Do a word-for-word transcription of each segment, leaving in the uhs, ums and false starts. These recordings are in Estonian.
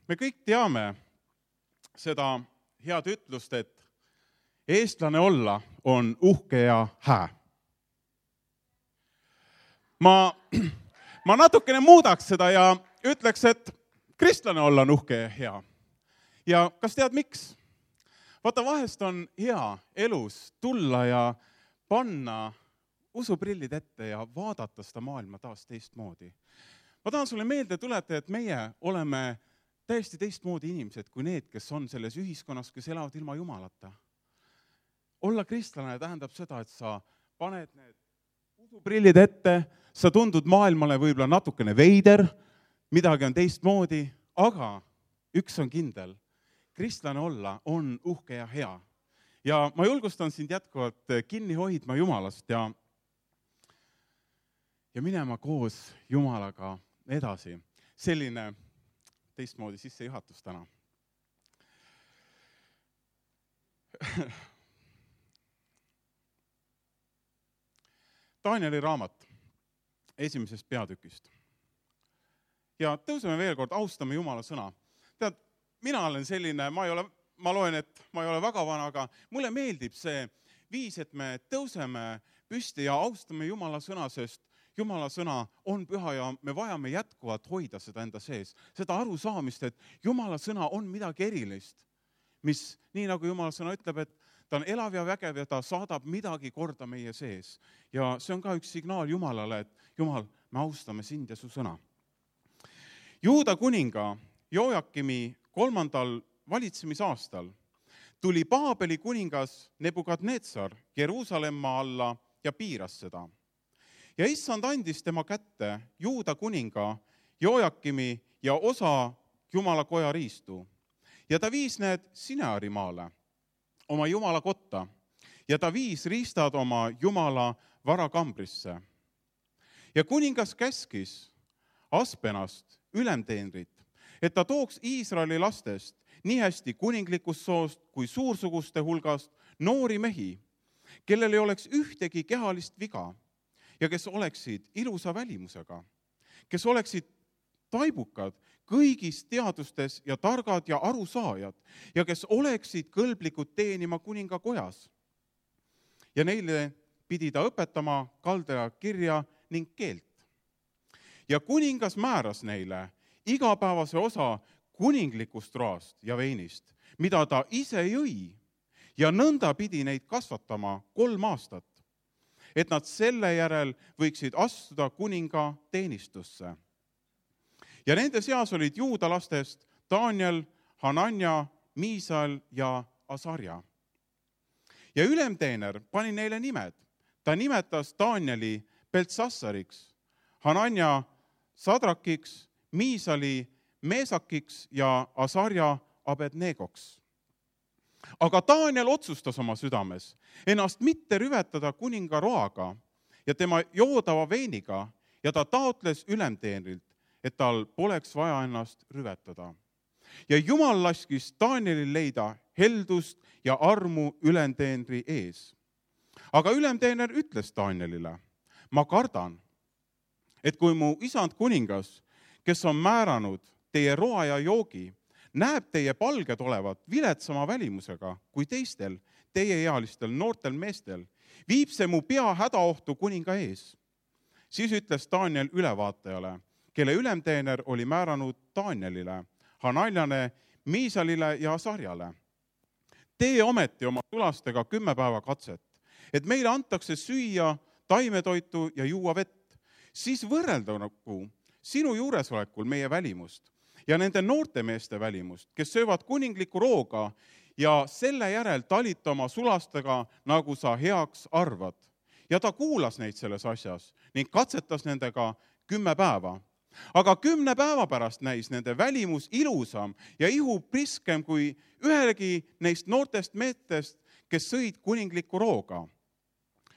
Me kõik teame seda head ütlust, et eestlane olla on uhke ja hää. Ma, ma natukene muudaks seda ja ütleks, et kristlane olla on uhke ja hea. Ja kas tead miks? Vaata, vahest on hea elus tulla ja panna usuprillid ette ja vaadata seda maailma taas teistmoodi. Ma tahan sulle meelde tuletada, et meie oleme täiesti teistmoodi inimesed kui need, kes on selles ühiskonnas, kes elavad ilma Jumalata. Olla kristlane tähendab seda, et sa paned need usuprillid ette, sa tundud maailmale võib-olla natukene veider, midagi on teistmoodi, aga üks on kindel, kristlane olla on uhke ja hea. Ja ma julgustan sind jätkuvalt kinni hoidma Jumalast ja, ja minema koos Jumalaga edasi. Selline teistmoodi sissejuhatus täna. Danieli raamat esimesest peatükist. Ja tõuseme veel kord, austame Jumala sõna. Tead, mina olen selline, ma ei ole, ma loen, et ma ei ole väga vana, aga mulle meeldib see viis, et me tõuseme püsti ja austame Jumala sõna, sest Jumala sõna on püha ja me vajame jätkuvalt hoida seda enda sees. Seda arusaamist, et Jumala sõna on midagi erilist, mis nii nagu Jumala sõna ütleb, et ta on elav ja vägev ja ta saadab midagi korda meie sees. Ja see on ka üks signaal Jumalale, et Jumal, me austame sind ja su sõna. Juuda kuninga Joakimi kolmandal valitsemisaastal tuli Baabeli kuningas Nebukadnetsar Jeruusalemma alla ja piiras seda. Ja issand andis tema kätte Juuda kuninga Joakimi ja osa Jumala koja riistu. Ja ta viis need Sineari maale, oma Jumala kotta, ja ta viis riistad oma Jumala varakambrisse. Ja kuningas käskis Aspenast ülemteenrit, et ta tooks Iisraeli lastest nii hästi kuninglikust soost kui suursuguste hulgast noori mehi, kellel ei oleks ühtegi kehalist viga ja kes oleksid ilusa välimusega, kes oleksid taibukad kõigis teadustes ja targad ja arusaajad ja kes oleksid kõlblikud teenima kuninga kojas. Ja neile pidi ta õpetama kaldaja kirja ning keelt. Ja kuningas määras neile igapäevase osa kuninglikust roast ja veinist, mida ta ise jõi, ja nõnda pidi neid kasvatama kolm aastat, et nad selle järel võiksid astuda kuninga teenistusse. Ja nende seas olid Juuda lastest Daniel, Hanania, Miisal ja Asarja. Ja ülemteener pani neile nimed. Ta nimetas Danieli Beltsassariks, Hanania Sadrakiks, Miisali Meesakiks ja Asarja Abednegoks. Aga Daniel otsustas oma südames ennast mitte rüvetada kuninga roaga ja tema joodava veiniga ja ta taotles ülemteenrilt, et tal poleks vaja ennast rüvetada. Ja Jumal laskis Danielil leida heldust ja armu ülemteenri ees. Aga ülemteener ütles Danielile, ma kardan, et kui mu isand kuningas, kes on määranud teie roa ja joogi, näeb teie palged olevat viletsama välimusega kui teistel teieealistel noortel meestel, viib see mu pea hädaohtu kuninga ees. Siis ütles Daniel ülevaatajale, kelle ülemteener oli määranud Danielile, Hananiale, Miisalile ja Asarjale. Tee ometi oma tulastega kümme päeva katset, et meile antakse süüa taimetoitu ja juua vett. Siis võrrelda nagu sinu juuresolekul meie välimust ja nende noorte meeste välimust, kes söövad kuningliku rooga ja selle järel talita oma sulastega, nagu sa heaks arvad. Ja ta kuulas neid selles asjas ning katsetas nendega kümme päeva. Aga kümne päeva pärast näis nende välimus ilusam ja ihu priskem kui ühelegi neist noortest meestest, kes sõid kuningliku rooga.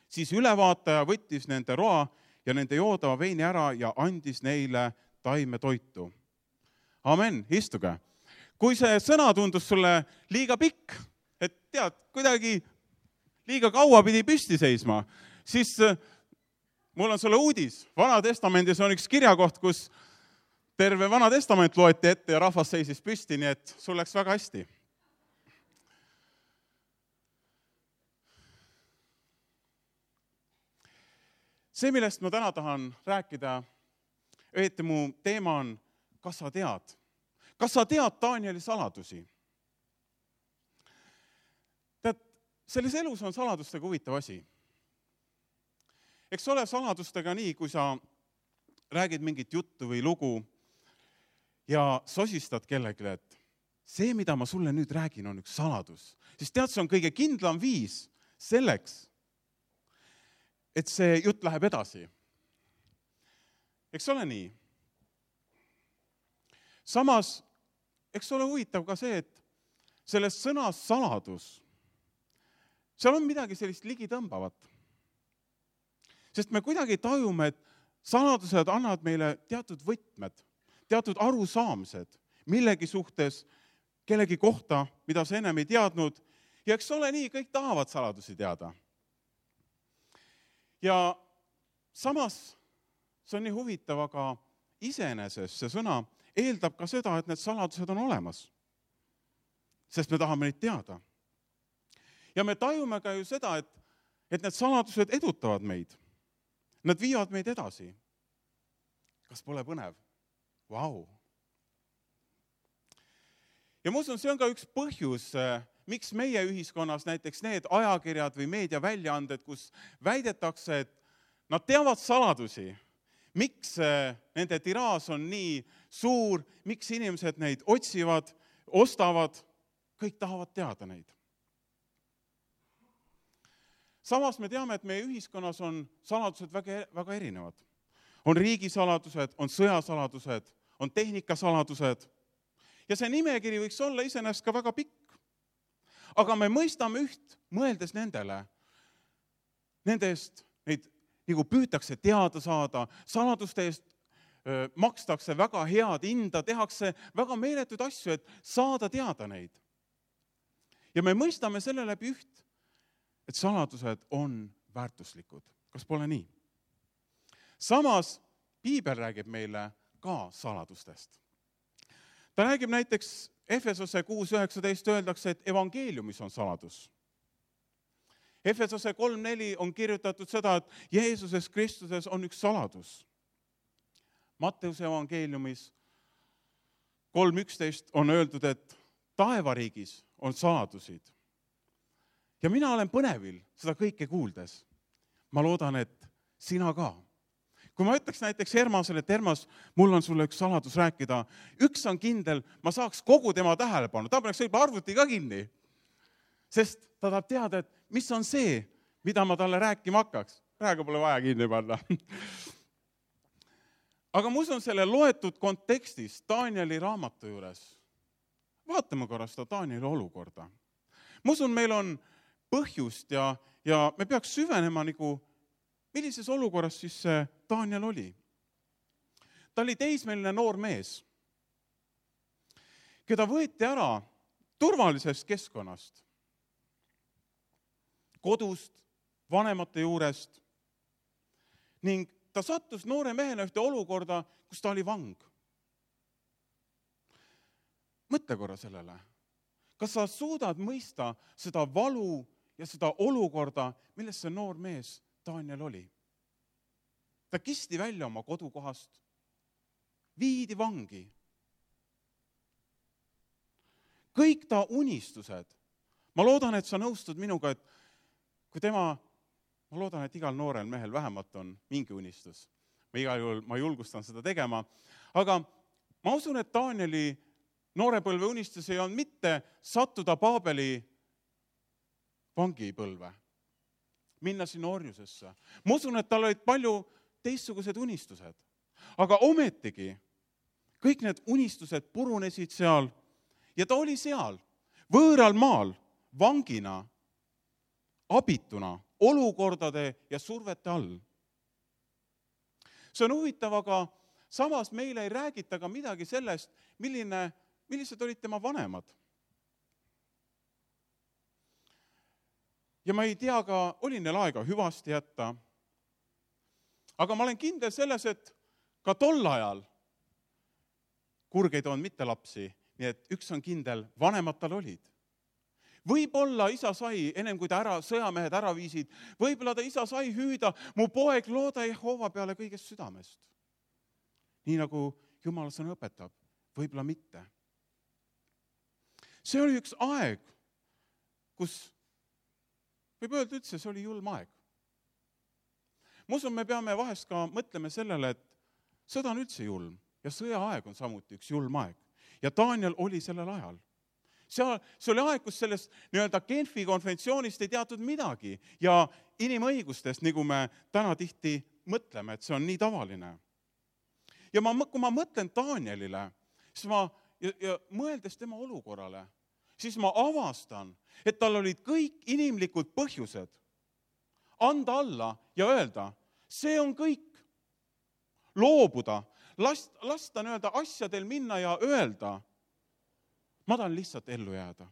Siis ülevaataja võttis nende roa ja nende joodava veini ära ja andis neile taimetoitu. Amen, istuge. Kui see sõna tundus sulle liiga pikk, et tead, kuidagi liiga kaua pidi püsti seisma, siis mul on sulle uudis. Vana testamendis on üks kirjakoht, kus terve Vana Testament loeti ette ja rahvas seisis püsti, nii et sul läks väga hästi. See, millest ma täna tahan rääkida, õieti mu teema on, kas sa tead? Kas sa tead Danieli saladusi? Tead, selles elus on saladustega huvitav asi. Eks ole saladustega nii, kui sa räägid mingit juttu või lugu ja sosistad kellelegi, et see, mida ma sulle nüüd räägin, on üks saladus. Siis tead, see on kõige kindlam viis selleks, et see jutt läheb edasi. Eks ole nii? Samas, eks ole huvitav ka see, et selles sõnas saladus, seal on midagi sellist ligitõmbavat. Sest me kuidagi tajume, et saladused annavad meile teatud võtmed, teatud arusaamised, millegi suhtes, kellegi kohta, mida sa ennem ei teadnud. Ja eks ole nii, kõik tahavad saladusi teada. Ja samas, see on nii huvitav, aga iseenesest see sõna eeldab ka seda, et need saladused on olemas. Sest me tahame neid teada. Ja me tajume ka ju seda, et, et need saladused edutavad meid. Nad viivad meid edasi. Kas pole põnev? Vau! Ja ma usun, see on ka üks põhjus, miks meie ühiskonnas näiteks need ajakirjad või meediaväljaanded, kus väidetakse, et nad teavad saladusi, miks nende tiraas on nii suur, miks inimesed neid otsivad, ostavad, kõik tahavad teada neid. Samas me teame, et meie ühiskonnas on saladused väga, väga erinevad. On riigisaladused, on sõjasaladused, on tehnikasaladused. Ja see nimekiri võiks olla iseenesest ka väga pikk. Aga me mõistame üht, mõeldes nendele. Nende eest neid nagu püütakse teada saada, saladuste eest öö, makstakse väga head hinda, tehakse väga meeletud asju, et saada teada neid. Ja me mõistame selle läbi üht, et saladused on väärtuslikud. Kas pole nii? Samas, Piibel räägib meile ka saladustest. Ta räägib näiteks Efesose kuus üheksateist öeldakse, et evangeeliumis on saladus. Efesose kolm neli on kirjutatud seda, et Jeesuses Kristuses on üks saladus. Matteuse evangeeliumis kolm üksteist on öeldud, et taevariigis on saladusid. Ja mina olen põnevil seda kõike kuuldes. Ma loodan, et sina ka. Kui ma ütleks näiteks Hermasele, et Hermas, mul on sulle üks saladus rääkida, üks on kindel, ma saaks kogu tema tähelepanu, ta paneks võib-olla arvuti ka kinni, sest ta tahab teada, et mis on see, mida ma talle rääkima hakkaks. Praegu pole vaja kinni panna. Aga ma usun selle loetud kontekstis Danieli raamatu juures. Vaatame korra seda Danieli olukorda. Ma usun, meil on põhjust ja, ja me peaks süvenema nagu, millises olukorras siis see Daniel oli. Ta oli teismeline noor mees, keda võeti ära turvalisest keskkonnast, kodust, vanemate juurest ning ta sattus noore mehena ühte olukorda, kus ta oli vang. Mõtle korra sellele. Kas sa suudad mõista seda valu ja seda olukorda, milles see noor mees Daniel oli? Ta kisti välja oma kodukohast, viidi vangi. Kõik ta unistused. Ma loodan, et sa nõustud minuga, et kui tema, ma loodan, et igal noorel mehel vähemalt on mingi unistus. Ma igal juhul, ma julgustan seda tegema. Aga ma usun, et Danieli noorepõlve unistus ei olnud mitte sattuda Paabeli vangipõlve, minna sinna orjusesse. Ma usun, et tal olid palju teistsugused unistused. Aga ometigi kõik need unistused purunesid seal ja ta oli seal, võõral maal, vangina, abituna, olukordade ja survete all. See on huvitav, aga samas meile ei räägita ka midagi sellest, milline, millised olid tema vanemad. Ja ma ei tea ka, oli neil aega hüvasti jätta. Aga ma olen kindel selles, et ka tol ajal kurgeid on mitte lapsi, nii et üks on kindel, vanemad tal olid. Võib-olla isa sai, ennem kui ta ära, sõjamehed ära viisid, võib-olla ta isa sai hüüda, mu poeg, looda Jehova peale kõigest südamest. Nii nagu Jumala sõna õpetab, võib-olla mitte. See oli üks aeg, kus võib öelda üldse, see oli julm aeg. Ma usun, me peame vahest ka mõtlema sellele, et sõda on üldse julm ja sõjaaeg on samuti üks julm aeg. Ja Daniel oli sellel ajal. See, see oli aeg, kus sellest nii-öelda Genfi konventsioonist ei teatud midagi ja inimõigustest, nagu me täna tihti mõtleme, et see on nii tavaline. Ja ma, kui ma mõtlen Danielile, siis ma, ja, ja mõeldes tema olukorrale, siis ma avastan, et tal olid kõik inimlikud põhjused anda alla ja öelda, see on kõik. Loobuda, last, lasta nii-öelda asjadel minna ja öelda, ma tahan lihtsalt ellu jääda.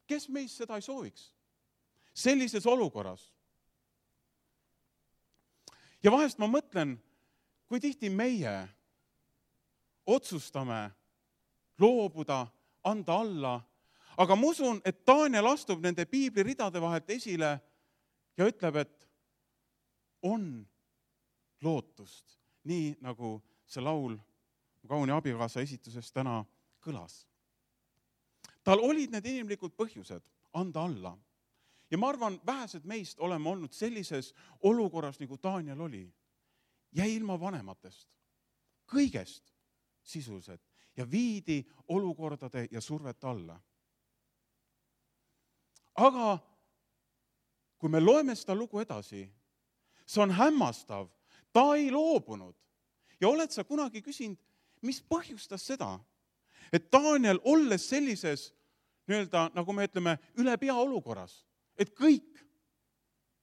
Kes meist seda ei sooviks? Sellises olukorras. Ja vahest ma mõtlen, kui tihti meie otsustame loobuda, anda alla, aga ma usun, et Daniel astub nende piibliridade vahelt esile ja ütleb, et on lootust, nii nagu see laul kauni abikaasa esituses täna kõlas. Tal olid need inimlikud põhjused anda alla. Ja ma arvan, vähesed meist oleme olnud sellises olukorras, nagu Daniel oli. Jäi ilma vanematest, kõigest sisuliselt ja viidi olukordade ja survet alla. Aga kui me loeme seda lugu edasi, see on hämmastav, ta ei loobunud. Ja oled sa kunagi küsinud, mis põhjustas seda, et Daniel olles sellises, nii-öelda, nagu me ütleme, üle pea olukorras, et kõik,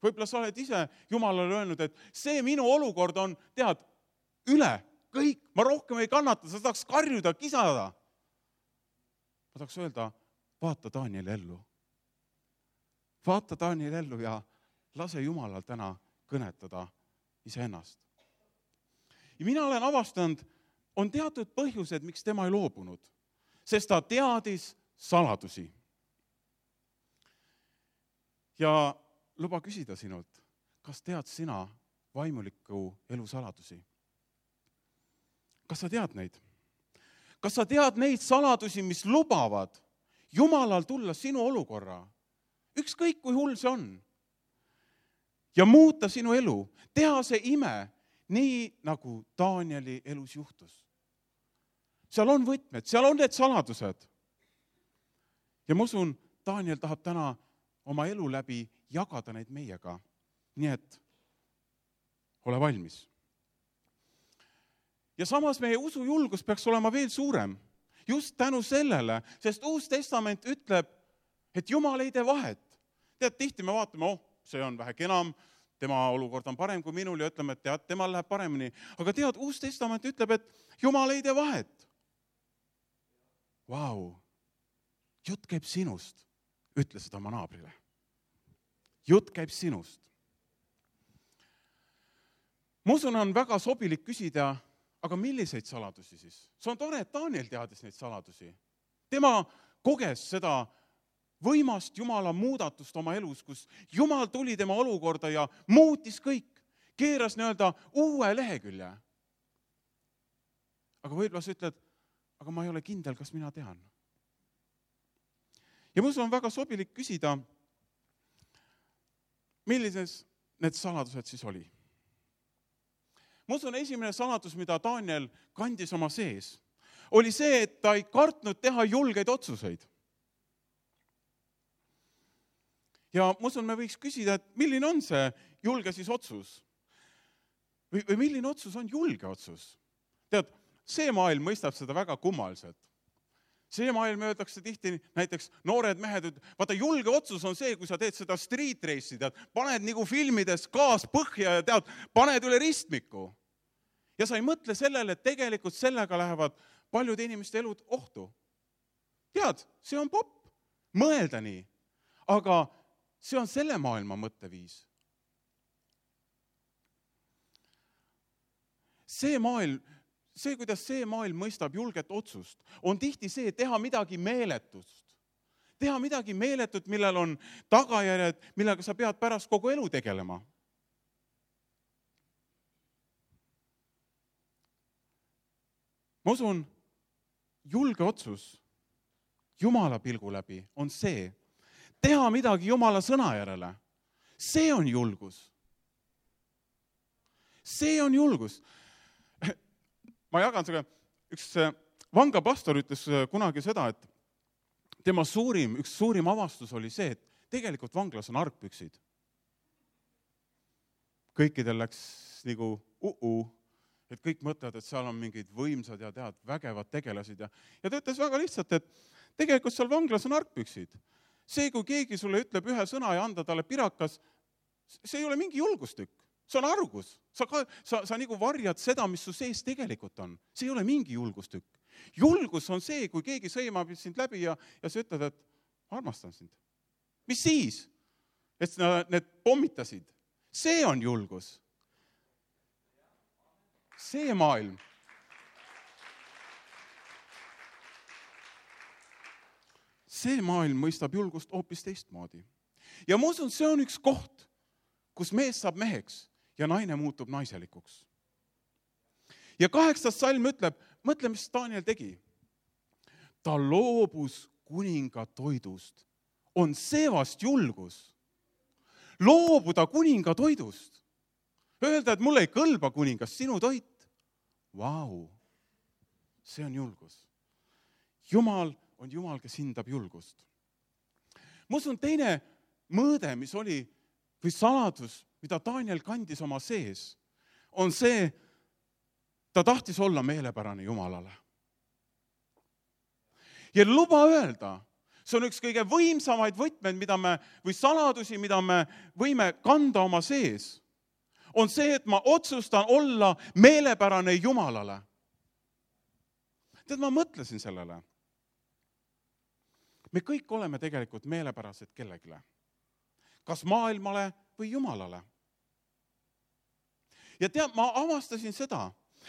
võib-olla sa oled ise Jumalale öelnud, et see minu olukord on, tead, üle, kõik, ma rohkem ei kannata, sa tahaks karjuda, kisada. Ma tahaks öelda, vaata Danieli ellu. Vaata Danieli ellu ja lase Jumalal täna kõnetada iseennast. Ja mina olen avastanud, on teatud põhjused, miks tema ei loobunud, sest ta teadis saladusi. Ja luba küsida sinult, kas tead sina vaimuliku elu saladusi? Kas sa tead neid? Kas sa tead neid saladusi, mis lubavad Jumalal tulla sinu olukorra? Ükskõik kui hull see on. Ja muuta sinu elu, teha see ime, nii nagu Danieli elus juhtus. Seal on võtmed, seal on need saladused. Ja ma usun, Daniel tahab täna oma elu läbi jagada neid meiega. Nii et ole valmis. Ja samas meie usujulgus peaks olema veel suurem. Just tänu sellele, sest Uus Testament ütleb, et Jumal ei tee vahet. Tead, tihti me vaatame, oh, see on vähe kenam, tema olukord on parem kui minul ja ütleme, et tead, temal läheb paremini. Aga tead, Uus Testament ütleb, et Jumal ei tee vahet. Vau, jutt käib sinust, ütle seda oma naabrile. Jutt käib sinust. Ma usun, on väga sobilik küsida, aga milliseid saladusi siis? See on tore, et Daniel teadis neid saladusi. Tema koges seda võimast Jumala muudatust oma elus, kus Jumal tuli tema olukorda ja muutis kõik, keeras nii-öelda uue lehekülje. Aga võib-olla sa ütled, aga ma ei ole kindel, kas mina tean. Ja ma usun, on väga sobilik küsida, millises need saladused siis oli. Ma usun, esimene saladus, mida Daniel kandis oma sees, oli see, et ta ei kartnud teha julgeid otsuseid. Ja ma usun, me võiks küsida, et milline on see julge siis otsus? Või, või milline otsus on julge otsus? Tead, see maailm mõistab seda väga kummaliselt. See maailm öeldakse tihti, näiteks noored mehed, vaata julge otsus on see, kui sa teed seda street race'i, tead, paned nagu filmides gaas põhja ja tead, paned üle ristmiku. Ja sa ei mõtle sellele, et tegelikult sellega lähevad paljude inimeste elud ohtu. Tead, see on popp, mõelda nii, aga see on selle maailma mõtteviis. See maailm, see, kuidas see maailm mõistab julget otsust, on tihti see, teha midagi meeletust. Teha midagi meeletut, millel on tagajärjed, millega sa pead pärast kogu elu tegelema. Ma usun, julge otsus Jumala pilgu läbi on see, teha midagi Jumala sõna järele. See on julgus. See on julgus. Ma jagan seda, üks vanglapastor ütles kunagi seda, et tema suurim, üks suurim avastus oli see, et tegelikult vanglas on argpüksid. Kõikidel läks nagu uh-uh, et kõik mõtlevad, et seal on mingid võimsad ja tead, vägevad tegelasid. Ja, ja ta ütles väga lihtsalt, et tegelikult seal vanglas on argpüksid. See, kui keegi sulle ütleb ühe sõna ja anda talle pirakas, see ei ole mingi julgustükk. See on argus. Sa, ka, sa, sa nagu varjad seda, mis su sees tegelikult on. See ei ole mingi julgustükk. Julgus on see, kui keegi sõimab sind läbi ja, ja sa ütled, et armastan sind. Mis siis? Et need pommitasid. See on julgus. See maailm. See maailm mõistab julgust hoopis teistmoodi. Ja ma usun, see on üks koht, kus mees saab meheks ja naine muutub naiselikuks. Ja kaheksas salm ütleb, mõtle, mis Daniel tegi. Ta loobus kuninga toidust. On see vast julgus. Loobuda kuninga toidust. Öelda, et mulle ei kõlba kuningas sinu toit. Vau, see on julgus. Jumal on Jumal, kes hindab julgust. Ma usun, teine mõõde, mis oli, või saladus, mida Daniel kandis oma sees, on see, ta tahtis olla meelepärane Jumalale. Ja luba öelda, see on üks kõige võimsamaid võtmed, mida me, või saladusi, mida me võime kanda oma sees, on see, et ma otsustan olla meelepärane Jumalale. Tead, ma mõtlesin sellele. Me kõik oleme tegelikult meelepärased kellegile. Kas maailmale või Jumalale. Ja tead, ma avastasin seda,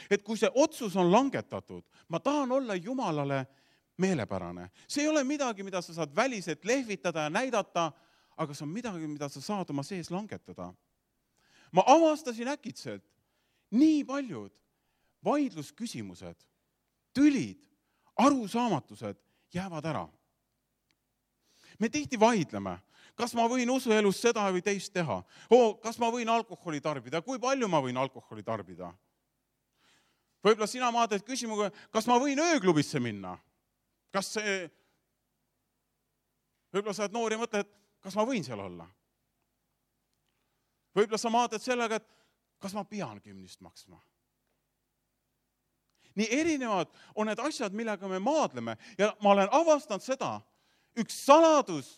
et kui see otsus on langetatud, ma tahan olla Jumalale meelepärane. See ei ole midagi, mida sa saad väliselt lehvitada ja näidata, aga see on midagi, mida sa saad oma sees langetada. Ma avastasin äkitselt nii paljud vaidlusküsimused, tülid, arusaamatused jäävad ära. Me tihti vaidleme, kas ma võin usuelus seda või teist teha. O, kas ma võin alkoholi tarbida? Kui palju ma võin alkoholi tarbida? Võib-olla sina maadad küsimuga, kas ma võin ööklubisse minna? Kas see... Võib-olla sa oled noor ja mõtled, kas ma võin seal olla? Võib-olla sa maadad sellega, et kas ma pean kümnist maksma? Nii erinevad on need asjad, millega me maadleme. Ja ma olen avastanud seda, üks saladus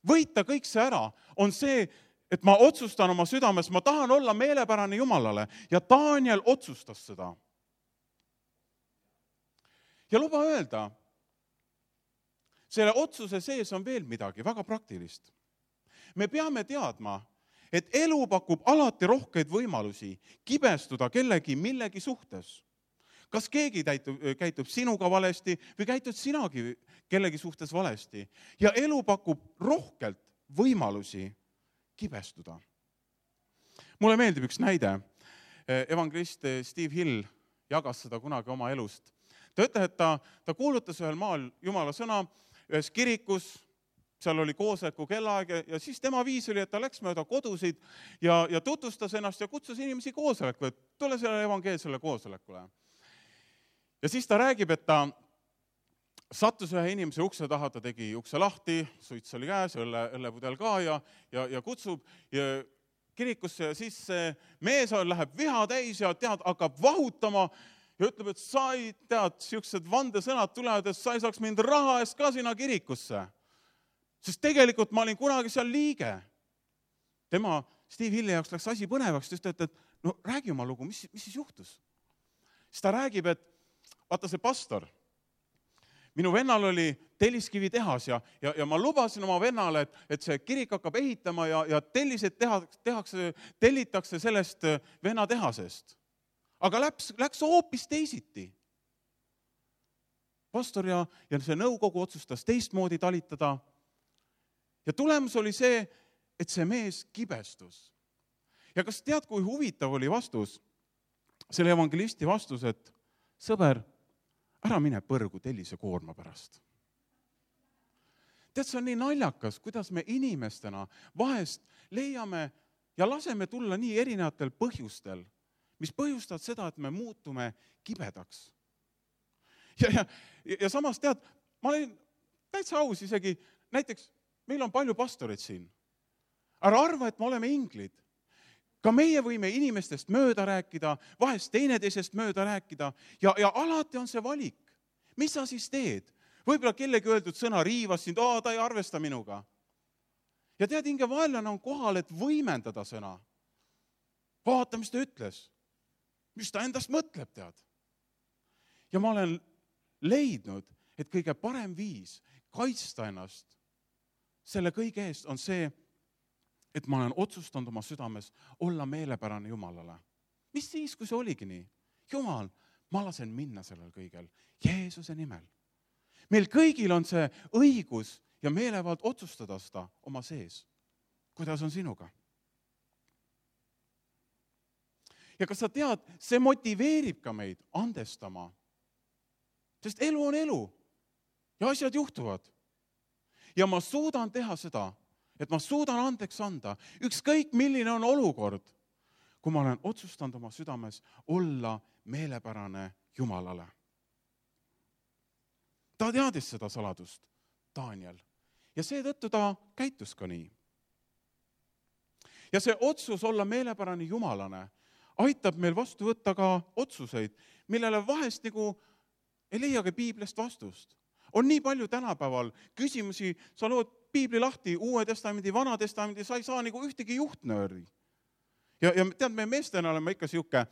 võita kõik see ära on see, et ma otsustan oma südames, ma tahan olla meelepärane Jumalale ja Daniel otsustas seda. Ja luba öelda, selle otsuse sees on veel midagi väga praktilist. Me peame teadma, et elu pakub alati rohkeid võimalusi kibestuda kellegi millegi suhtes. Kas keegi täitub, käitub sinuga valesti või käitud sinagi kellegi suhtes valesti. Ja elu pakub rohkelt võimalusi kibestuda. Mulle meeldib üks näide. Evangelist Steve Hill jagas seda kunagi oma elust. Ta ütleb, et ta, ta kuulutas ühel maal Jumala sõna ühes kirikus, seal oli koosoleku kellaaeg ja siis tema viis oli, et ta läks mööda kodusid ja, ja tutvustas ennast ja kutsus inimesi koosolekule, et tule selle evangeelsele koosolekule. Ja siis ta räägib, et ta sattus ühe inimese ukse taha, ta tegi ukse lahti, suits oli käes, õlle, õllepudel ka ja, ja, ja kutsub ja kirikusse ja siis see mees läheb viha täis ja tead, hakkab vahutama ja ütleb, et sa ei tead, siuksed vandesõnad tulevad, et sa ei saaks mind raha eest ka sinna kirikusse. Sest tegelikult ma olin kunagi seal liige. Tema, Steve Hilli jaoks läks asi põnevaks, just et, et no räägi oma lugu, mis, mis siis juhtus? Siis ta räägib, et vaata see pastor, minu vennal oli telliskivi tehas ja, ja, ja ma lubasin oma vennale, et, et see kirik hakkab ehitama ja, ja tellised teha, tehakse, tellitakse sellest venna tehasest. aga läks, läks hoopis teisiti. Pastor ja, ja see nõukogu otsustas teistmoodi talitada. Ja tulemus oli see, et see mees kibestus. Ja kas tead, kui huvitav oli vastus? Selle evangelisti vastus, et sõber, ära mine põrgu tellise koorma pärast. Tead, see on nii naljakas, kuidas me inimestena vahest leiame ja laseme tulla nii erinevatel põhjustel, mis põhjustavad seda, et me muutume kibedaks. Ja, ja, ja samas tead, ma olen täitsa aus isegi, näiteks meil on palju pastoreid siin. Ära arva, et me oleme inglid. Ka meie võime inimestest mööda rääkida, vahest teineteisest mööda rääkida ja, ja alati on see valik. Mis sa siis teed? Võib-olla kellegi öeldud sõna riivas sind, aa, ta ei arvesta minuga. Ja tead, hinge vaenlane on kohal, et võimendada sõna. Vaata, mis ta ütles. Mis ta endast mõtleb, tead. Ja ma olen leidnud, et kõige parem viis kaitsta ennast selle kõige eest on see, et ma olen otsustanud oma südames olla meelepärane Jumalale. Mis siis, kui see oligi nii? Jumal, ma lasen minna sellel kõigel Jeesuse nimel. Meil kõigil on see õigus ja meelevald otsustada seda oma sees. Kuidas on sinuga? Ja kas sa tead, see motiveerib ka meid andestama. Sest elu on elu ja asjad juhtuvad. Ja ma suudan teha seda, et ma suudan andeks anda, ükskõik milline on olukord, kui ma olen otsustanud oma südames olla meelepärane Jumalale. Ta teadis seda saladust, Daniel, ja seetõttu ta käitus ka nii. Ja see otsus olla meelepärane Jumalane aitab meil vastu võtta ka otsuseid, millele vahest nagu ei leiagi piiblist vastust. On nii palju tänapäeval küsimusi, sa lood piibli lahti, Uue testamendi, Vana testamendi, sa ei saa nagu ühtegi juhtnööri. Ja, ja tead, me meestena oleme ikka siuke,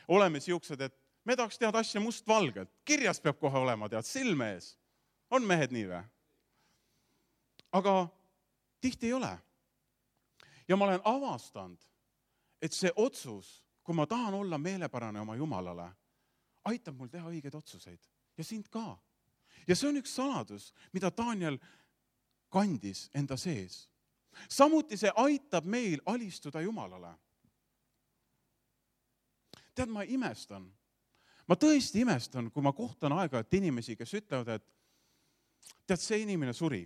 oleme siuksed, et me tahaks teada asja mustvalgelt. Kirjas peab kohe olema, tead, silme ees. On mehed nii või? Aga tihti ei ole. Ja ma olen avastanud, et see otsus, kui ma tahan olla meelepärane oma Jumalale, aitab mul teha õigeid otsuseid. Ja sind ka. Ja see on üks saladus, mida Daniel kandis enda sees. Samuti see aitab meil alistuda Jumalale. Tead, ma imestan. Ma tõesti imestan, kui ma kohtan aeg-ajalt inimesi, kes ütlevad, et tead, see inimene suri.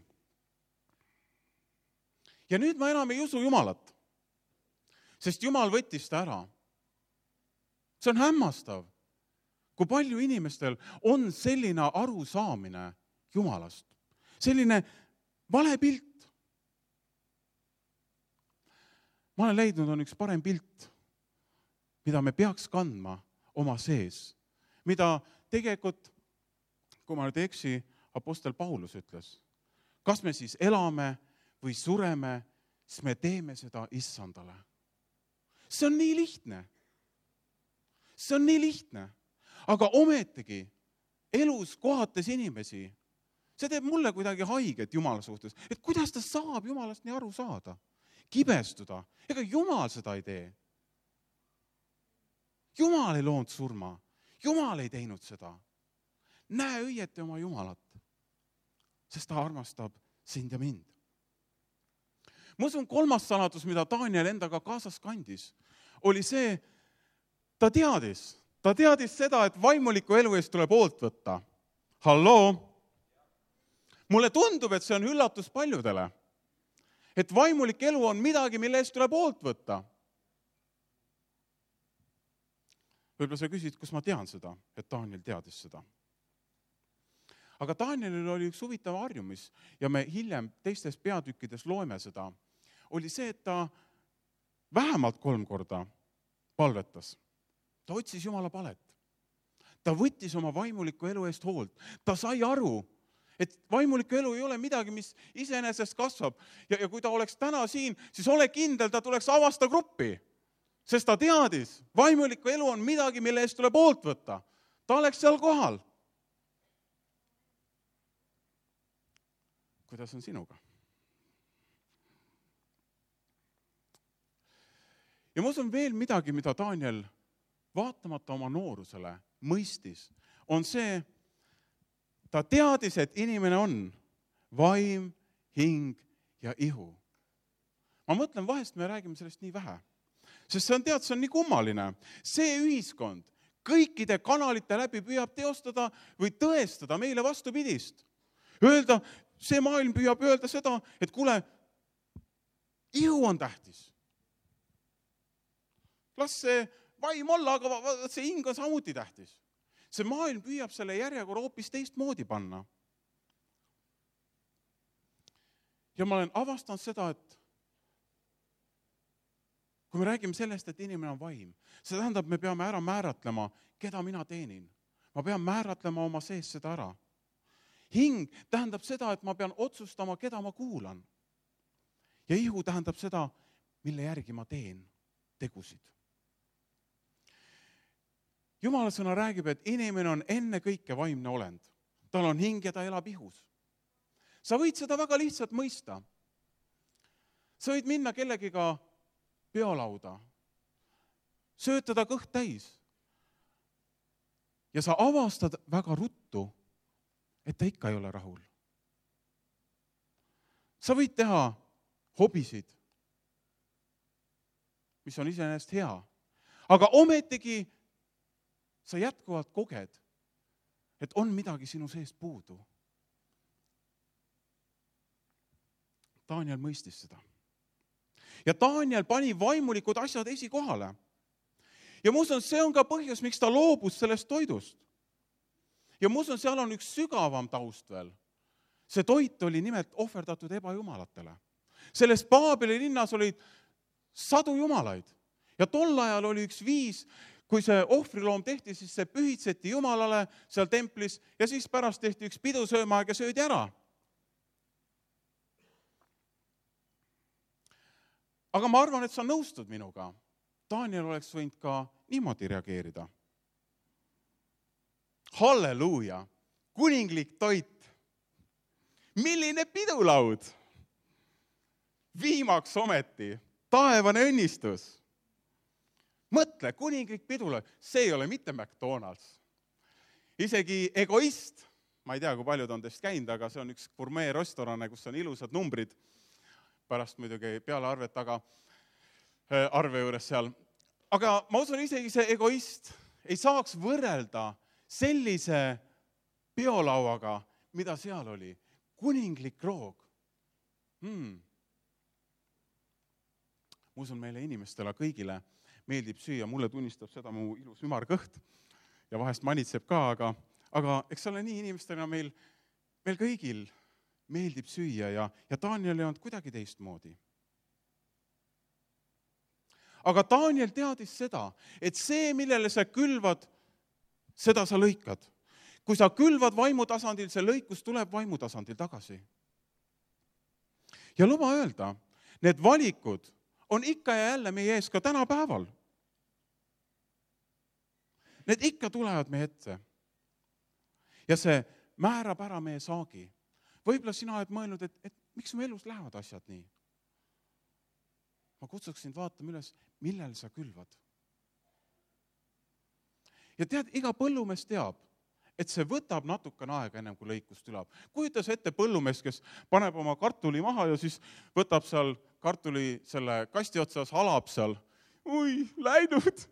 Ja nüüd ma enam ei usu Jumalat, sest Jumal võttis ta ära. See on hämmastav, kui palju inimestel on selline arusaamine Jumalast. Selline vale pilt. Ma olen leidnud, on üks parem pilt, mida me peaks kandma oma sees. Mida tegelikult, kui ma nüüd ei eksi, apostel Paulus ütles, kas me siis elame või sureme, siis me teeme seda issandale. See on nii lihtne. See on nii lihtne. Aga ometigi elus kohates inimesi, see teeb mulle kuidagi haiget Jumala suhtes. Et kuidas ta saab Jumalast nii aru saada? Kibestuda. Ega Jumal seda ei tee. Jumal ei loonud surma. Jumal ei teinud seda. Näe õieti oma Jumalat, sest ta armastab sind ja mind. Ma usun, kolmas saladus, mida Daniel endaga kaasas kandis, oli see, ta teadis, ta teadis seda, et vaimuliku elu eest tuleb hoolt võtta. Halloo! Mulle tundub, et see on üllatus paljudele. Et vaimulik elu on midagi, mille eest tuleb hoolt võtta. Võib-olla sa küsid, kus ma tean seda, et Daniel teadis seda. Aga Danielil oli üks huvitav harjumis ja me hiljem teistes peatükkides loeme seda. Oli see, et ta vähemalt kolm korda palvetas. Ta otsis Jumala palet. Ta võttis oma vaimuliku elu eest hoolt. Ta sai aru, et vaimuliku elu ei ole midagi, mis iseenesest kasvab. Ja, ja kui ta oleks täna siin, siis ole kindel, ta tuleks avasta gruppi. Sest ta teadis, vaimuliku elu on midagi, mille eest tuleb hoolt võtta. Ta oleks seal kohal. Kuidas on sinuga? Ja ma usun veel midagi, mida Daniel vaatamata oma noorusele, mõistis, on see, ta teadis, et inimene on vaim, hing ja ihu. Ma mõtlen, vahest me räägime sellest nii vähe. Sest see on, tead, see on nii kummaline. See ühiskond kõikide kanalite läbi püüab teostada või tõestada meile vastupidist. Öelda, see maailm püüab öelda seda, et kuule, ihu on tähtis. Las see vaim olla, aga see hing on samuti tähtis. See maailm püüab selle järjekorra hoopis teistmoodi panna. Ja ma olen avastanud seda, et kui me räägime sellest, et inimene on vaim, see tähendab, me peame ära määratlema, keda mina teenin. Ma pean määratlema oma sees seda ära. Hing tähendab seda, et ma pean otsustama, keda ma kuulan. Ja ihu tähendab seda, mille järgi ma teen tegusid. Jumala sõna räägib, et inimene on enne kõike vaimne olend. Tal on hing ja ta elab ihus. Sa võid seda väga lihtsalt mõista. Sa võid minna kellegiga peolauda, söötada kõht täis ja sa avastad väga ruttu, et ta ikka ei ole rahul. Sa võid teha hobisid, mis on iseenesest hea, aga ometigi sa jätkuvalt koged, et on midagi sinu seest puudu. Daniel mõistis seda. Ja Daniel pani vaimulikud asjad esikohale. Ja ma usun, see on ka põhjus, miks ta loobus sellest toidust. Ja ma usun, seal on üks sügavam taust veel. See toit oli nimelt ohverdatud ebajumalatele. Selles Paabeli linnas olid sadu jumalaid. Ja tol ajal oli üks viis, kui see ohvriloom tehti, siis see pühitseti jumalale seal templis ja siis pärast tehti üks pidusöömaaeg ja söödi ära. Aga ma arvan, et sa nõustud minuga. Daniel oleks võinud ka niimoodi reageerida. Halleluuja! Kuninglik toit! Milline pidulaud! Viimaks ometi, taevane õnnistus! Mõtle, kuninglik pidulaud, see ei ole mitte McDonald's. Isegi Egoist, ma ei tea, kui paljud on teist käinud, aga see on üks gourmet restorane, kus on ilusad numbrid, pärast muidugi peale arvet, aga arve juures seal. Aga ma usun, isegi see Egoist ei saaks võrrelda sellise peolauaga, mida seal oli. Kuninglik roog. Hmm. Ma usun, meile inimestele kõigile meeldib süüa. Mulle tunnistab seda mu ilus ümarkõht ja vahest manitseb ka, aga, aga eks ole nii inimestena meil, meil kõigil meeldib süüa ja, ja Daniel ei olnud kuidagi teistmoodi. Aga Daniel teadis seda, et see, millele sa külvad, seda sa lõikad. Kui sa külvad vaimutasandil, see lõikus tuleb vaimutasandil tagasi. Ja luba öelda, need valikud on ikka ja jälle meie ees ka tänapäeval. Need ikka tulevad meie ette. Ja see määrab ära meie saagi. Võib-olla sina oled mõelnud, et, et miks mu elus lähevad asjad nii? Ma kutsuksin vaatama üles, millel sa külvad. Ja tead, iga põllumees teab, et see võtab natukene aega ennem kui lõikus tuleb. Kujutas ette põllumees, kes paneb oma kartuli maha ja siis võtab seal kartuli selle kasti otsas, halab seal. Ui, läinud,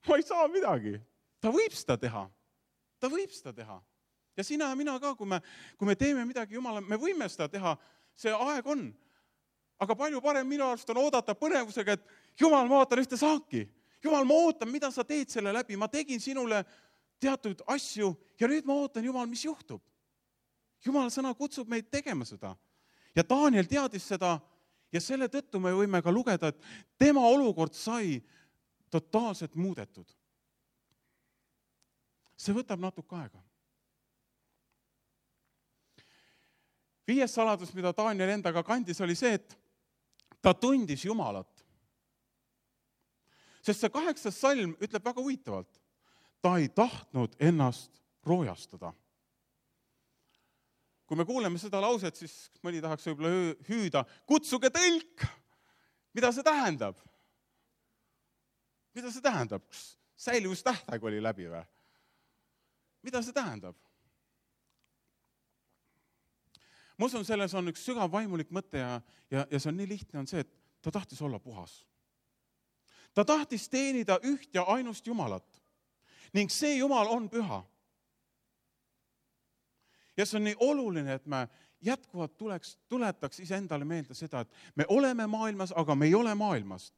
ma ei saa midagi. Ta võib seda teha. Ta võib seda teha. Ja sina ja mina ka, kui me, kui me teeme midagi Jumala, me võime seda teha, see aeg on. Aga palju parem minu arust on oodata põnevusega, et Jumal, ma ootan ühte saaki. Jumal, ma ootan, mida sa teed selle läbi. Ma tegin sinule teatud asju ja nüüd ma ootan, Jumal, mis juhtub. Jumala sõna kutsub meid tegema seda. Ja Daniel teadis seda ja selle tõttu me võime ka lugeda, et tema olukord sai totaalselt muudetud. See võtab natuke aega. Viies saladus, mida Daniel endaga kandis, oli see, et ta tundis Jumalat. Sest see kaheksas salm ütleb väga huvitavalt. Ta ei tahtnud ennast roojastada. Kui me kuuleme seda lauset, siis mõni tahaks võib-olla hüüda, kutsuge tõlk! Mida see tähendab? Mida see tähendab? säilivustähtaeg oli läbi või? Mida see tähendab? Ma usun, selles on üks sügav vaimulik mõte ja, ja, ja see on nii lihtne, on see, et ta tahtis olla puhas. Ta tahtis teenida üht ja ainust Jumalat ning see Jumal on püha. Ja see on nii oluline, et me jätkuvalt tuleks, tuletaks iseendale meelde seda, et me oleme maailmas, aga me ei ole maailmast.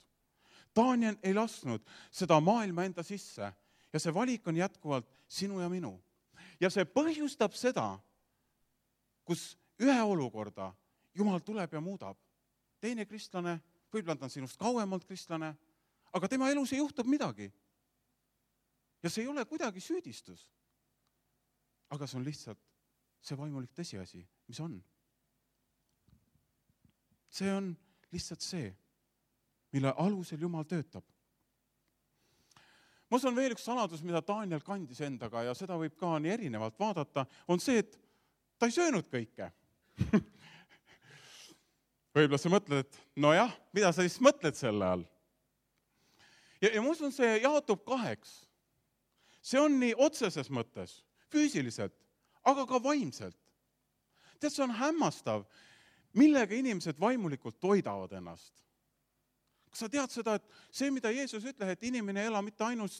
Daniel ei lasknud seda maailma enda sisse ja see valik on jätkuvalt sinu ja minu. Ja see põhjustab seda, kus ühe olukorda Jumal tuleb ja muudab. Teine kristlane, võib-olla ta on sinust kauemalt kristlane, aga tema elus ei juhtub midagi. Ja see ei ole kuidagi süüdistus. Aga see on lihtsalt see vaimulik tõsiasi, mis on. See on lihtsalt see, mille alusel Jumal töötab. Ma usun veel üks saladus, mida Daniel kandis endaga ja seda võib ka nii erinevalt vaadata, on see, et ta ei söönud kõike. Võib-olla sa mõtled, et no jah, mida sa siis mõtled selle all? Ja, ja ma usun, see jaotub kaheks. See on nii otseses mõttes, füüsiliselt, aga ka vaimselt. Tead, see on hämmastav, millega inimesed vaimulikult toidavad ennast. Kas sa tead seda, et see, mida Jeesus ütleb, et inimene ei ela mitte ainult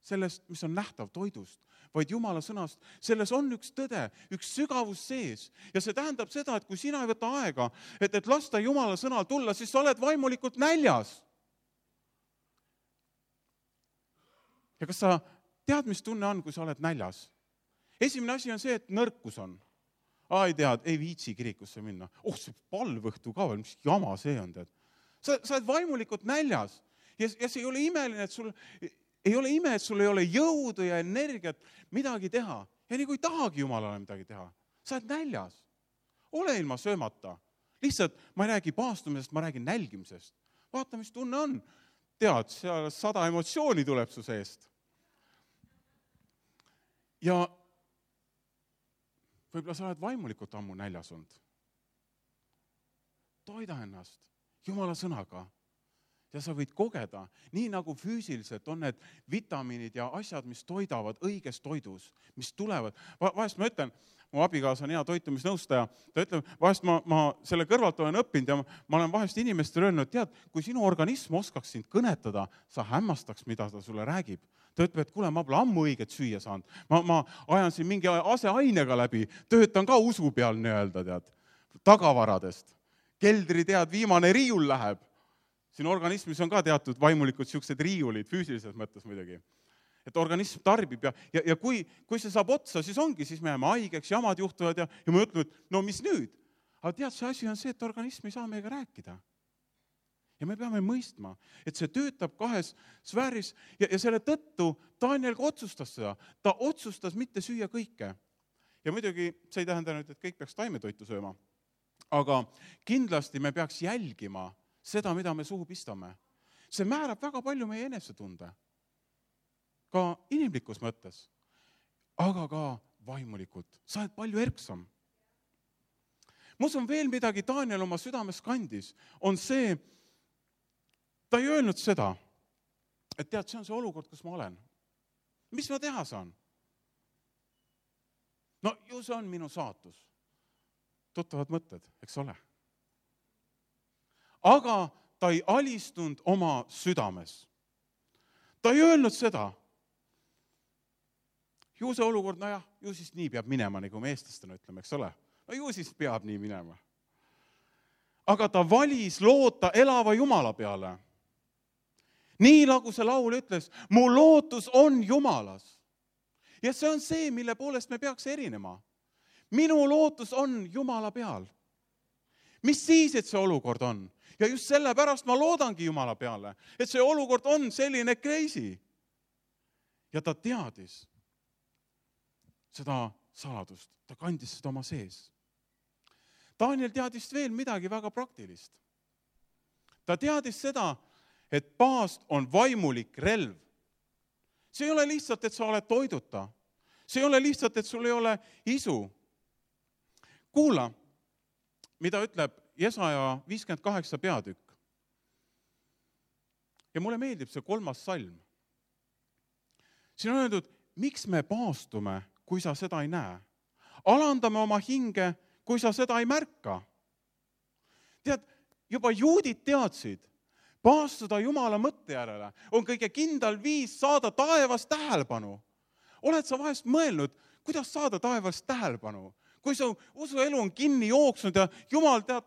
sellest, mis on nähtav toidust, vaid Jumala sõnast, selles on üks tõde, üks sügavus sees. Ja see tähendab seda, et kui sina ei võta aega, et, et lasta Jumala sõnal tulla, siis sa oled vaimulikult näljas. Ja kas sa tead, mis tunne on, kui sa oled näljas? Esimene asi on see, et nõrkus on. Aa, ei tead, ei viitsi kirikusse minna. Oh, see palvõhtu ka veel, mis jama see on, tead. Sa, sa oled vaimulikult näljas ja, ja see ei ole imeline, et sul ei ole ime, et sul ei ole jõudu ja energiat midagi teha. Ja nii kui ei tahagi Jumalale midagi teha. Sa oled näljas. Ole ilma söömata. Lihtsalt ma ei räägi paastumisest, ma räägin nälgimisest. Vaata, mis tunne on. Tead, seal sada emotsiooni tuleb su seest. Ja võib-olla sa oled vaimulikult ammu näljas olnud. Toida ennast Jumala sõnaga ja sa võid kogeda, nii nagu füüsiliselt on need vitamiinid ja asjad, mis toidavad õiges toidus, mis tulevad. Va- vahest ma ütlen, mu abikaasa on hea toitumisnõustaja, ta ütleb, vahest ma, ma selle kõrvalt olen õppinud ja ma olen vahest inimestele öelnud, tead, kui sinu organism oskaks sind kõnetada, sa hämmastaks, mida ta sulle räägib. Ta ütleb, et kuule, ma pole ammu õiget süüa saanud. Ma, ma ajan siin mingi aseainega läbi, töötan ka usu peal nii-öelda, tead, tagavaradest. Keldri tead, viimane riiul läheb. Siin organismis on ka teatud vaimulikud siuksed riiulid, füüsilises mõttes muidugi. Et organism tarbib ja, ja, ja kui, kui see saab otsa, siis ongi, siis me jääme haigeks, jamad juhtuvad ja, ja me ütleme, et no mis nüüd? Aga tead, see asi on see, et organism ei saa meiega rääkida. Ja me peame mõistma, et see töötab kahes sfääris ja, ja selle tõttu Daniel ka otsustas seda. Ta otsustas mitte süüa kõike. Ja muidugi see ei tähenda nüüd, et kõik peaks taimetoitu sööma. Aga kindlasti me peaks jälgima seda, mida me suhu pistame. See määrab väga palju meie enesetunde. Ka inimlikus mõttes, aga ka vaimulikult. Sa oled palju erksam. Ma usun veel midagi Daniel oma südames kandis, on see, ta ei öelnud seda, et tead, see on see olukord, kus ma olen. Mis ma teha saan? No ju see on minu saatus. Tuttavad mõtted, eks ole. Aga ta ei alistunud oma südames. Ta ei öelnud seda. Ju see olukord, no jah, ju siis nii peab minema, nagu me eestlastena ütleme, eks ole. No ju siis peab nii minema. Aga ta valis loota elava Jumala peale. Nii nagu see laul ütles, mu lootus on Jumalas. Ja see on see, mille poolest me peaks erinema. Minu lootus on Jumala peal. Mis siis, et see olukord on? Ja just sellepärast ma loodangi Jumala peale, et see olukord on selline crazy. Ja ta teadis seda saladust, ta kandis seda oma sees. Daniel teadis veel midagi väga praktilist. Ta teadis seda, et paast on vaimulik relv. See ei ole lihtsalt, et sa oled toiduta. See ei ole lihtsalt, et sul ei ole isu. Kuula, mida ütleb Jesaja viiskümmend kaheksa peatükk. Ja mulle meeldib see kolmas salm. siin on öeldud, miks me paastume, kui sa seda ei näe. Alandame oma hinge, kui sa seda ei märka. Tead, juba juudid teadsid, paastuda Jumala mõtte järele on kõige kindel viis saada taevas tähelepanu. Oled sa vahest mõelnud, kuidas saada taevas tähelepanu? Kui su usuelu on kinni jooksnud ja Jumal tead,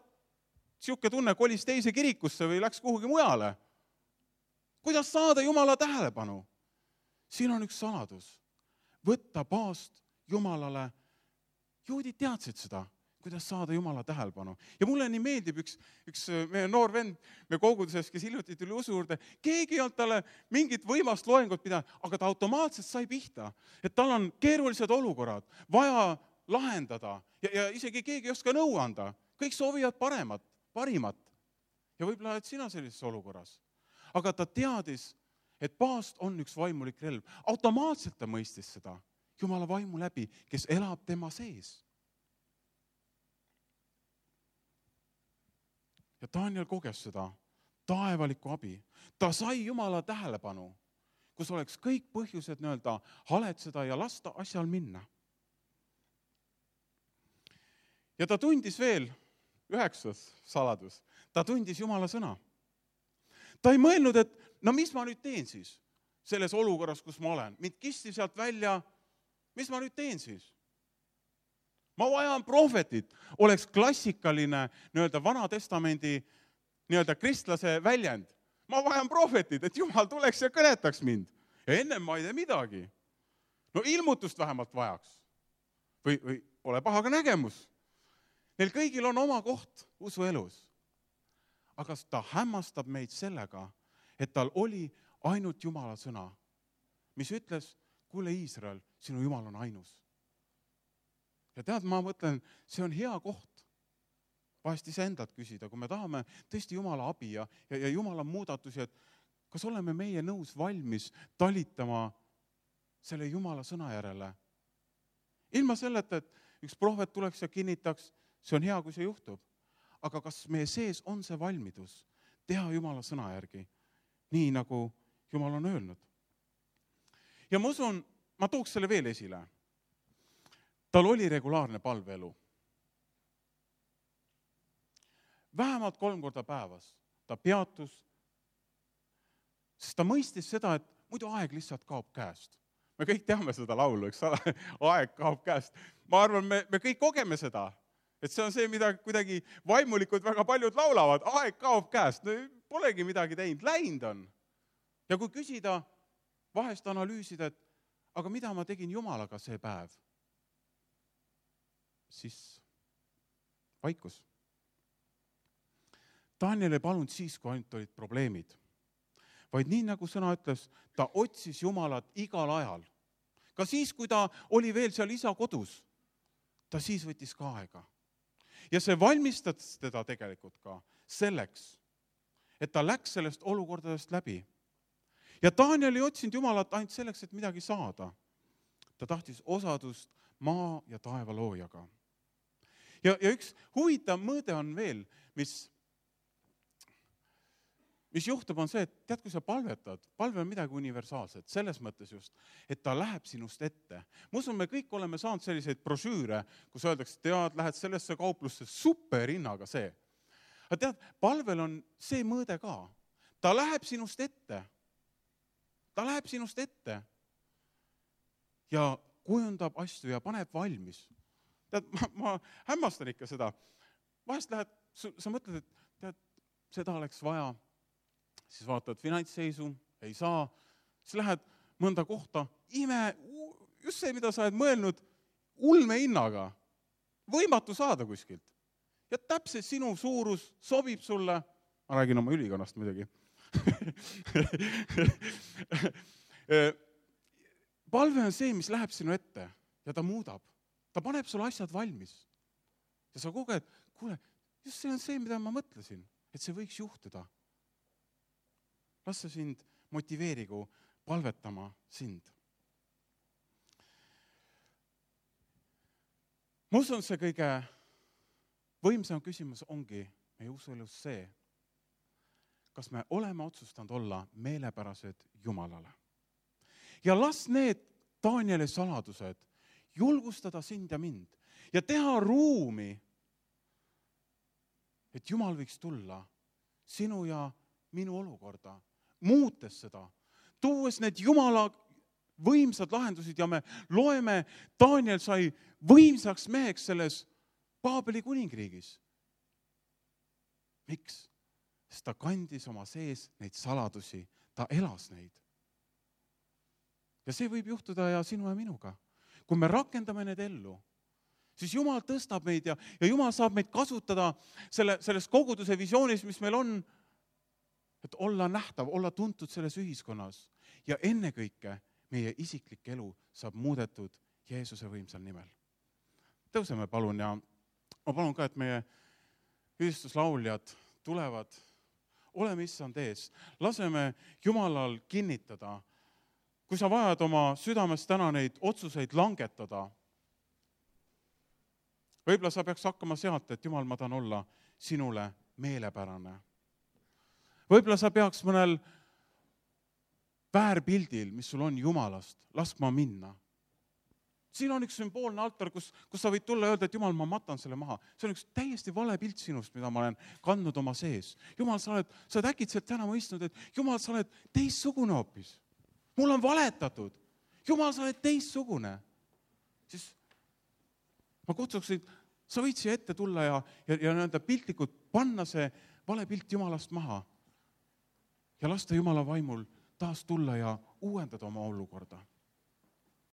siuke tunne kolis teise kirikusse või läks kuhugi mujale. Kuidas saada Jumala tähelepanu? Siin on üks saladus. Võtta paast Jumalale. Juudid teadsid seda, kuidas saada Jumala tähelepanu. Ja mulle nii meeldib üks, üks meie noor vend, me koguduses, kes hiljuti tuli usu juurde, keegi ei olnud talle mingit võimast loengut pidanud, aga ta automaatselt sai pihta, et tal on keerulised olukorrad, vaja lahendada ja, ja isegi keegi ei oska nõu anda. Kõik soovivad paremat, parimat. Ja võib-olla oled sina sellises olukorras. Aga ta teadis, et paast on üks vaimulik relv. Automaatselt ta mõistis seda Jumala vaimu läbi, kes elab tema sees. Ja Daniel koges seda taevalikku abi. Ta sai Jumala tähelepanu, kus oleks kõik põhjused nõelda haletseda ja lasta asjal minna. Ja ta tundis veel, üheksas saladus, ta tundis Jumala sõna. Ta ei mõelnud, et no mis ma nüüd teen siis selles olukorras, kus ma olen. Mind kisti sealt välja, mis ma nüüd teen siis? Ma vajan prohvetit, oleks klassikaline nii-öelda vana testamendi nii-öelda kristlase väljend. Ma vajan prohvetit, et Jumal tuleks ja kõnetaks mind. Ja ennem ma ei tee midagi. No ilmutust vähemalt vajaks. Või, või ole paha ka nägemus. Neil kõigil on oma koht usuelus. Aga ta hämmastab meid sellega, et tal oli ainult Jumala sõna, mis ütles, kuule Iisrael, sinu Jumal on ainus. Ja tead, ma mõtlen, see on hea koht vahest ise endalt küsida, kui me tahame tõesti Jumala abi ja, ja, ja Jumala muudatusi, et kas oleme meie nõus valmis talitama selle Jumala sõna järele. Ilma selleta, et üks prohvet tuleks ja kinnitaks, see on hea, kui see juhtub. Aga kas meie sees on see valmidus teha Jumala sõna järgi, nii nagu Jumal on öelnud? Ja ma usun, ma tooks selle veel esile. Tal oli regulaarne palveelu. Vähemalt kolm korda päevas ta peatus, sest ta mõistis seda, et muidu aeg lihtsalt kaob käest. Me kõik teame seda laulu, eks ole? Aeg kaob käest. Ma arvan, me, me kõik kogeme seda, et see on see, mida kuidagi vaimulikud väga paljud laulavad. Aeg kaob käest, no polegi midagi teinud, läinud on. Ja kui küsida, vahest analüüsida, et aga mida ma tegin Jumalaga see päev? Siis vaikus. Daniel ei palunud siis, kui ainult olid probleemid. Vaid nii nagu sõna ütles, ta otsis Jumalat igal ajal. Ka siis, kui ta oli veel seal isa kodus, ta siis võttis ka aega. Ja see valmistas teda tegelikult ka selleks, et ta läks sellest olukordadest läbi. Ja Daniel ei otsinud Jumalat ainult selleks, et midagi saada. Ta tahtis osadust maa ja taeva loojaga. Ja, ja üks huvitav mõõde on veel, mis, mis juhtub, on see, et tead, kui sa palvetad, palve on midagi universaalset, selles mõttes just, et ta läheb sinust ette. Ma usun, me kõik oleme saanud selliseid brošüüre, kus öeldakse, tead, lähed sellesse kauplusse, super hinnaga see. Aga tead, palvel on see mõõde ka. Ta läheb sinust ette. Ta läheb sinust ette ja kujundab asju ja paneb valmis. Tead, ma, ma hämmastan ikka seda. Vahest lähed, sa mõtled, et tead, seda oleks vaja, siis vaatad finantsseisu, ei saa, siis lähed mõnda kohta, ime, just see, mida sa oled mõelnud, ulme hinnaga, võimatu saada kuskilt. Ja täpselt sinu suurus sobib sulle, ma räägin oma ülikonnast muidugi, palve on see, mis läheb sinu ette ja ta muudab. Ta paneb sulle asjad valmis. Ja sa koged, kuule, just see on see, mida ma mõtlesin, et see võiks juhtuda. Las see sind motiveerigu palvetama sind. Ma usun, see kõige võimsam küsimus ongi meie usuelus see, kas me oleme otsustanud olla meelepärased Jumalale. ja las need Danieli saladused julgustada sind ja mind ja teha ruumi, et Jumal võiks tulla sinu ja minu olukorda, muutes seda, tuues need Jumala võimsad lahendusid ja me loeme, Daniel sai võimsaks meheks selles Paabeli kuningriigis. Miks? Sest ta kandis oma sees neid saladusi, ta elas neid. Ja see võib juhtuda ja sinu ja minuga. Kui me rakendame need ellu, siis Jumal tõstab meid ja, ja Jumal saab meid kasutada selle, selles koguduse visioonis, mis meil on, et olla nähtav, olla tuntud selles ühiskonnas ja ennekõike meie isiklik elu saab muudetud Jeesuse võimsal nimel. Tõuseme palun ja ma palun ka, et meie ühistuslauljad tulevad, oleme issand ees, laseme Jumalal kinnitada, kui sa vajad oma südames täna neid otsuseid langetada, võib-olla sa peaks hakkama sealt, et Jumal, ma tahan olla sinule meelepärane. Võib-olla sa peaks mõnel väärpildil, mis sul on Jumalast, laskma minna. Siin on üks sümboolne altar, kus, kus sa võid tulla ja öelda, et Jumal, ma matan selle maha. See on üks täiesti vale pilt sinust, mida ma olen kandnud oma sees. Jumal, sa oled, sa oled äkitselt täna mõistnud, et Jumal, sa oled teistsugune hoopis. Mul on valetatud. Jumal, sa oled teistsugune. Siis ma kutsuksin, sa võid siia ette tulla ja, ja, ja nende piltlikult panna see vale pilt Jumalast maha ja lasta Jumala vaimul taas tulla ja uuendada oma olukorda.